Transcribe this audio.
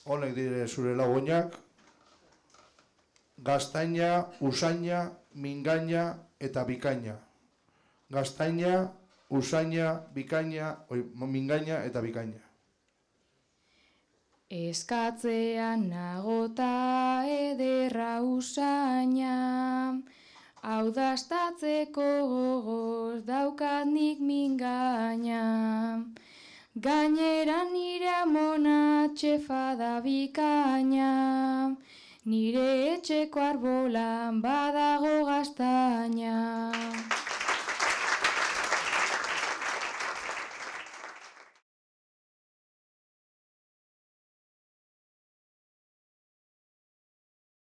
Honek dire zure lagunak, gaztaina, usaina, mingaina eta bikaina. Gaztaina, usaina, mingaina eta bikaina. Eskatzean nagota ederra usaina, hau dastatzeko gogoz daukat nik mingaina. Gainera nire amona txefa da bikaina, nire etxeko arbolan badago gazta